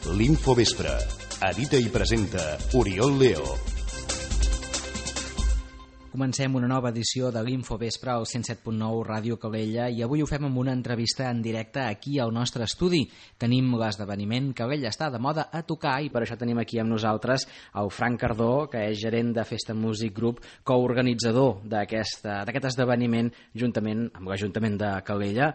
L'Infovespre. Edita i presenta Oriol Leo. Comencem una nova edició de l'Infovespre al 107.9 Ràdio Calella i avui ho fem amb una entrevista en directe aquí al nostre estudi. Tenim l'esdeveniment Calella està de moda a tocar i per això tenim aquí amb nosaltres el Frank Cardó, que és gerent de Festa Music Group, coorganitzador d'aquest esdeveniment juntament amb l'Ajuntament de Calella.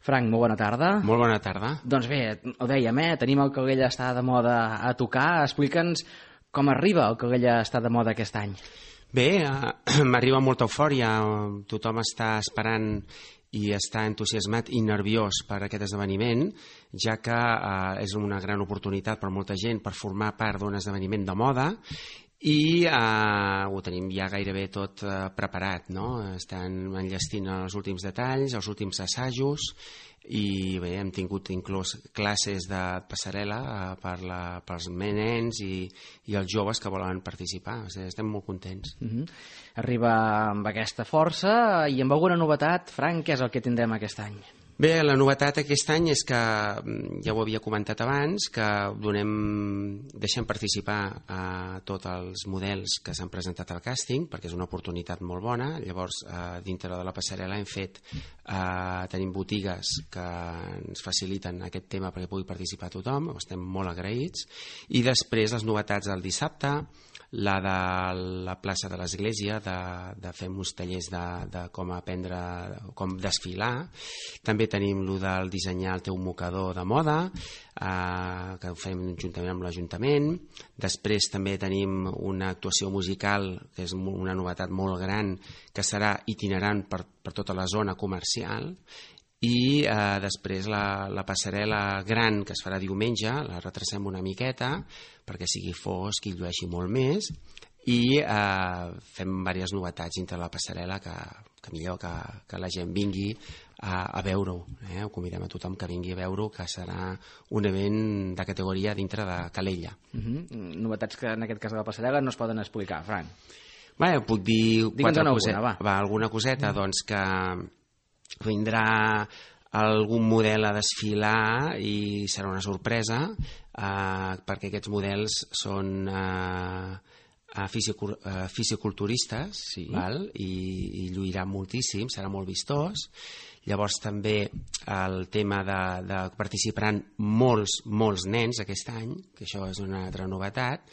Frank, molt bona tarda. Molt bona tarda. Doncs bé, ho dèiem, tenim el Calella està de moda a tocar. Explica'ns com arriba el Calella està de moda aquest any. Bé, m'arriba molta eufòria, tothom està esperant i està entusiasmat i nerviós per aquest esdeveniment, ja que és una gran oportunitat per molta gent per formar part d'un esdeveniment de moda i ho tenim ja gairebé tot preparat, no? Estan enllestint els últims detalls, els últims assajos i bé, hem tingut inclús classes de passarel·la pels nens i els joves que volen participar. Estem molt contents. Arriba amb aquesta força i amb alguna novetat. Frank, què és el que tindrem aquest any? Bé, la novetat aquest any és que, ja ho havia comentat abans, que deixem participar a tots els models que s'han presentat al càsting, perquè és una oportunitat molt bona. Llavors, dintre de la passarel·la tenim botigues que ens faciliten aquest tema perquè pugui participar tothom, estem molt agraïts. I després les novetats del dissabte, la de la plaça de l'Església, de fer uns tallers de com aprendre, com desfilar. També tenim el del dissenyar el teu mocador de moda, que ho fem juntament amb l'Ajuntament. Després també tenim una actuació musical, que és una novetat molt gran, que serà itinerant per tota la zona comercial. I després la passarel·la gran que es farà diumenge, la retracem una miqueta perquè sigui fosc i llueixi molt més i fem diverses novetats dintre la passarel·la que millor que la gent vingui a veure-ho. Ho convidem a tothom que vingui a veure-ho, que serà un event de categoria dintre de Calella. Novetats que en aquest cas de la passarel·la no es poden explicar, Frank. Bé, puc dir alguna coseta, doncs que vindrà algun model a desfilar i serà una sorpresa perquè aquests models són fisiculturistes, sí. I lluiran moltíssim, serà molt vistós. Llavors també el tema de participaran molts nens aquest any, que això és una altra novetat,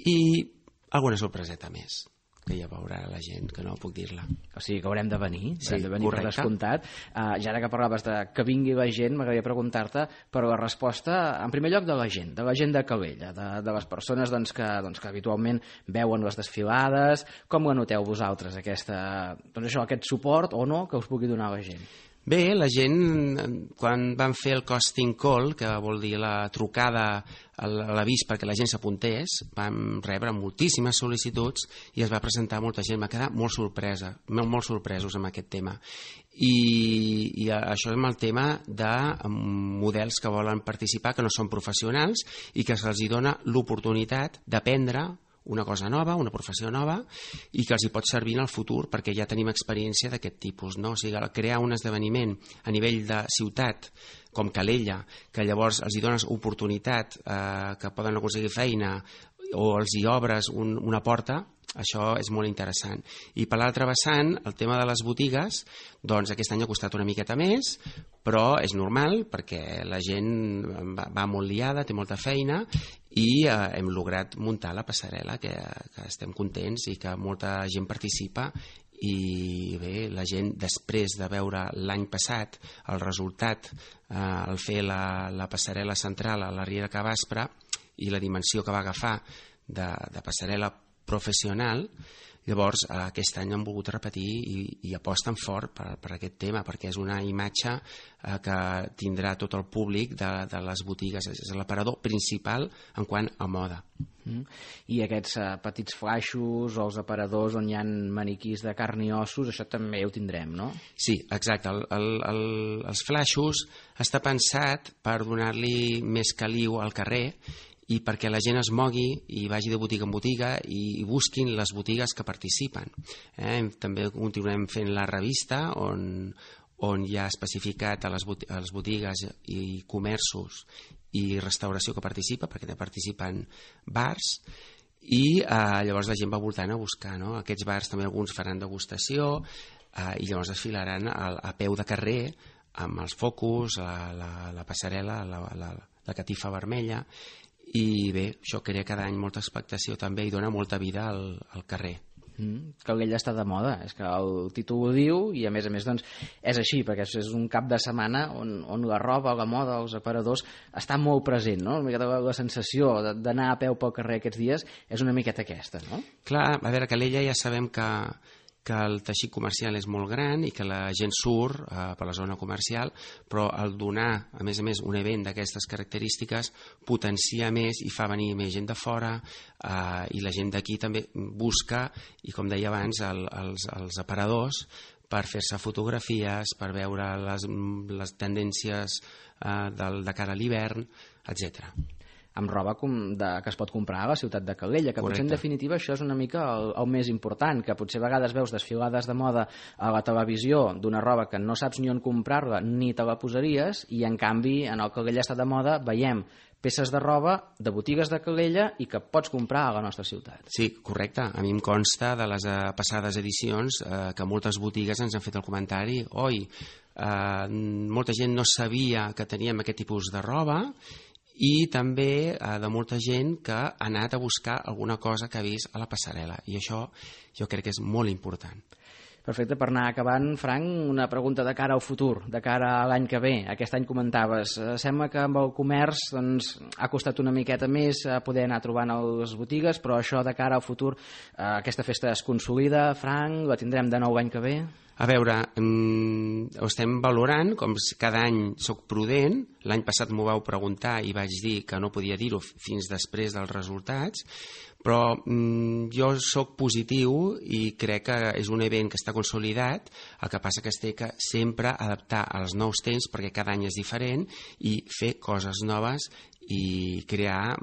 i alguna sorpreseta més que ja veurà la gent, que no puc dir-la. O sigui que haurem de venir, sí, per descomptat. Ja ara que parlaves de que vingui la gent, m'agradaria preguntar-te per la resposta, en primer lloc, de la gent de Calella, de les persones que habitualment veuen les desfilades. Com ho noteu vosaltres, aquest suport o no que us pugui donar la gent? Bé, la gent, quan van fer el casting call, que vol dir la trucada a l'avís perquè la gent s'apuntés, vam rebre moltíssimes sol·licituds i es va presentar molta gent. Va quedar molt sorpresos amb aquest tema. I això és amb el tema de models que volen participar, que no són professionals i que se'ls dona l'oportunitat d'aprendre una cosa nova, una professió nova i que els hi pot servir en el futur perquè ja tenim experiència d'aquest tipus, no? O sigui, crear un esdeveniment a nivell de ciutat com Calella, que llavors els hi dones oportunitat que poden aconseguir feina o els hi obres una porta, això és molt interessant. I per l'altre vessant, el tema de les botigues, doncs aquest any ha costat una miqueta més, però és normal perquè la gent va molt liada, té molta feina i hem lograt muntar la passarel·la, que estem contents i que molta gent participa. I bé, la gent, després de veure l'any passat el resultat al fer la passarel·la central a la Riera Cavaspre i la dimensió que va agafar de passarel·la professional, llavors aquest any han volgut repetir i aposten fort per aquest tema, perquè és una imatge que tindrà tot el públic de les botigues, és l'aparador principal en quant a moda. I aquests petits flaixos o els aparadors on hi ha maniquís de carn i ossos, això també ho tindrem, no? Sí, exacte. Els flaixos està pensat per donar-li més caliu al carrer i perquè la gent es mogui i vagi de botiga en botiga i busquin les botigues que participen. També continuem fent la revista on on hi ha especificat a les botigues i comerços i restauració que participa, perquè també participen bars, i llavors la gent va voltant a buscar, no? Aquests bars també alguns faran degustació i llavors es filaran a peu de carrer amb els focus, la passarel·la, la catifa vermella, i bé, això crea cada any molta expectació també i dona molta vida al carrer. Calella està de moda, és que el títol ho diu i a més doncs, és així, perquè és un cap de setmana on la roba, la moda, els aparadors està molt present, no? Una miqueta la sensació d'anar a peu pel carrer aquests dies és una miqueta aquesta, no? Clar, a veure, Calella ja sabem que el teixit comercial és molt gran i que la gent surt per la zona comercial, però el donar, a més, un event d'aquestes característiques potencia més i fa venir més gent de fora i la gent d'aquí també busca, i com deia abans, els aparadors per fer-se fotografies, per veure les tendències de cara a l'hivern, etc. Amb roba que es pot comprar a la ciutat de Calella, que potser en definitiva això és una mica el més important, que potser a vegades veus desfilades de moda a la televisió d'una roba que no saps ni on comprar-la ni te la posaries, i en canvi en el Calella està de moda veiem peces de roba de botigues de Calella i que pots comprar a la nostra ciutat. Sí, correcte. A mi em consta de les passades edicions que moltes botigues ens han fet el comentari: oi, molta gent no sabia que teníem aquest tipus de roba, i també de molta gent que ha anat a buscar alguna cosa que ha vist a la passarel·la, i això jo crec que és molt important. Perfecte, per anar acabant, Frank, una pregunta de cara al futur, de cara a l'any que ve. Aquest any comentaves, sembla que amb el comerç ha costat una miqueta més poder anar trobant a les botigues, però això de cara al futur, aquesta festa es consolida, Frank, la tindrem de nou l'any que ve? A veure, ho estem valorant, com cada any soc prudent. L'any passat m'ho vau preguntar i vaig dir que no podia dir-ho fins després dels resultats, però jo soc positiu i crec que és un event que està consolidat. El que passa que es té que sempre adaptar als nous temps, perquè cada any és diferent, i fer coses noves i crear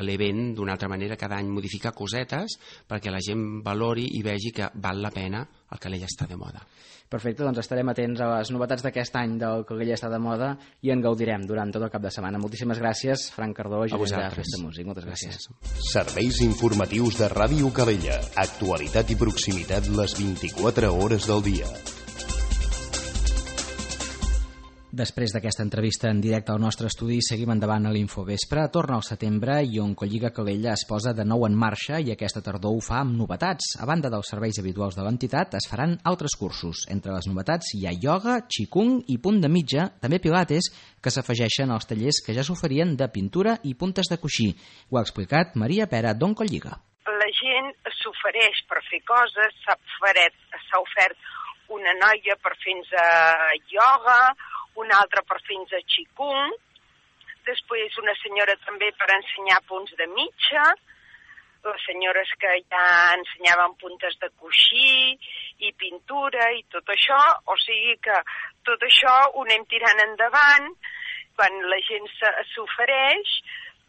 l'event d'una altra manera, cada any modificar cosetes perquè la gent valori i vegi que val la pena el Calella està de moda. Perfecte, doncs estarem atents a les novetats d'aquest any del Calella està de moda i en gaudirem durant tot el cap de setmana. Moltíssimes gràcies, Frank Cardó, gerent de Festa Músic. Moltes gràcies. Serveis informatius de Ràdio Calella. Actualitat i proximitat les 24 hores del dia. Després d'aquesta entrevista en directe al nostre estudi, seguim endavant a l'Infovespre. Torna al setembre i Oncolliga Calella es posa de nou en marxa i aquesta tardor ho fa amb novetats. A banda dels serveis habituals de l'entitat, es faran altres cursos. Entre les novetats hi ha ioga, qigong i punt de mitja, també pilates, que s'afegeixen als tallers que ja s'oferien de pintura i puntes de coixí. Ho ha explicat Maria Pera d'Oncolliga. La gent s'ofereix per fer coses, s'ha ofert una noia per fer-nos ioga, una altra per fer-nos qigong, després una senyora també per ensenyar punts de mitja, les senyores que ja ensenyaven puntes de coixí i pintura i tot això, o sigui que tot això ho anem tirant endavant. Quan la gent s'ofereix,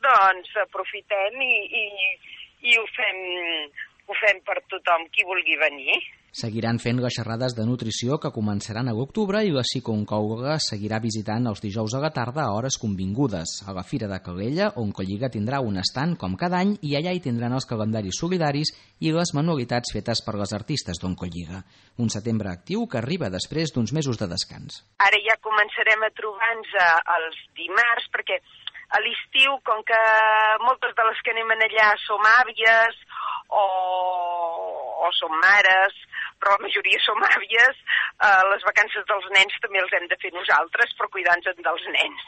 doncs aprofitem i ho fem per tothom qui vulgui venir. Seguiran fent les xerrades de nutrició que començaran a l'octubre i la psicooncòloga seguirà visitant els dijous a la tarda a hores convingudes. A la Fira de Calella, Oncolliga tindrà un estand com cada any i allà hi tindran els calendaris solidaris i les manualitats fetes per les artistes d'Oncolliga. Un setembre actiu que arriba després d'uns mesos de descans. Ara ja començarem a trobar-nos els dimarts, perquè a l'estiu, com que moltes de les que anem allà som àvies o som mares, però la majoria som àvies, les vacances dels nens també els hem de fer nosaltres per cuidar-nos dels nens.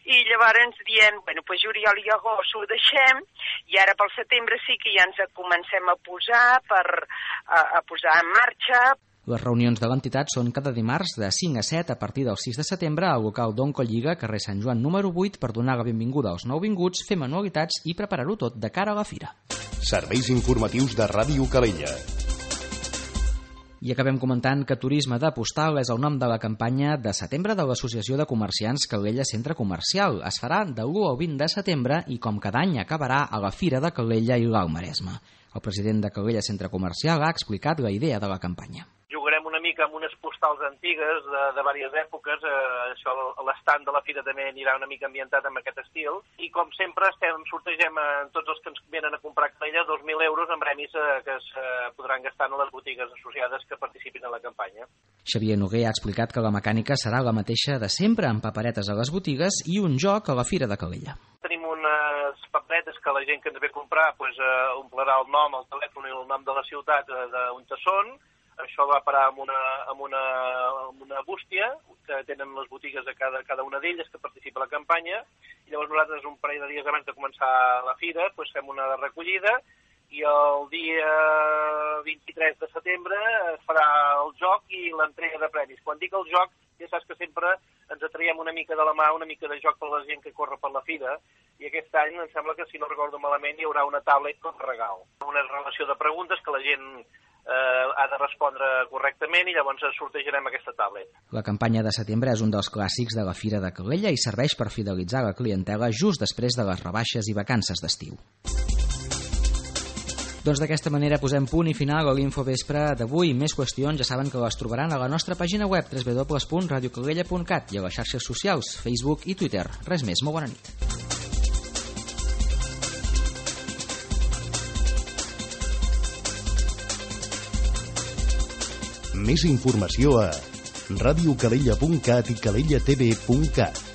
I llavors ens diem, pues juliol i agost ho deixem, i ara pel setembre sí que ja ens comencem a posar en marxa. Les reunions de l'entitat són cada dimarts de 5 a 7 a partir del 6 de setembre al local d'Oncolliga, carrer Sant Joan número 8, per donar la benvinguda als nouvinguts, fer manualitats i preparar-ho tot de cara a la fira. Serveis informatius de Ràdio Calella. I acabem comentant que Turisme de Postal és el nom de la campanya de setembre de l'Associació de Comerciants Calella Centre Comercial. Es farà de l'1 al 20 de setembre i, com cada any, acabarà a la Fira de Calella i l'Alt Maresme. El president de Calella Centre Comercial ha explicat la idea de la campanya. Jugarem una mica mica amb unes postals antigues de diverses èpoques. Això, l'estand de la fira també anirà una mica ambientat amb aquest estil. I com sempre sortegem a tots els que ens venen a comprar Calella 2.000 euros en premis que es podran gastar en les botigues associades que participin en la campanya. Xavier Noguer ha explicat que la mecànica serà la mateixa de sempre, amb paperetes a les botigues i un joc a la Fira de Calella. Tenim unes paperetes que la gent que ens ve a comprar omplirà el nom, el telèfon i el nom de la ciutat d'on són. Això va parar amb una bústia que tenen les botigues de cada una d'elles que participa a la campanya, i llavors nosaltres un parell de dies abans de començar la fira fem una recollida, i el dia 23 de setembre es farà el joc i l'entrega de premis. Quan dic el joc, ja saps que sempre ens atraiem una mica de la mà, una mica de joc per la gent que corre per la fira, i aquest any em sembla que, si no recordo malament, hi haurà una tablet com a regal. Una relació de preguntes que la gent ha de respondre correctament, i llavors sortejarem aquesta tablet. La campanya de setembre és un dels clàssics de la Fira de Calella i serveix per fidelitzar la clientela just després de les rebaixes i vacances d'estiu. Doncs d'aquesta manera posem punt i final a l'Infovespre d'avui. Més qüestions ja saben que les trobaran a la nostra pàgina web www.radiocalella.cat i a les xarxes socials, Facebook i Twitter. Res més, molt bona nit. Més informació a radiocalella.cat i cadellatv.cat.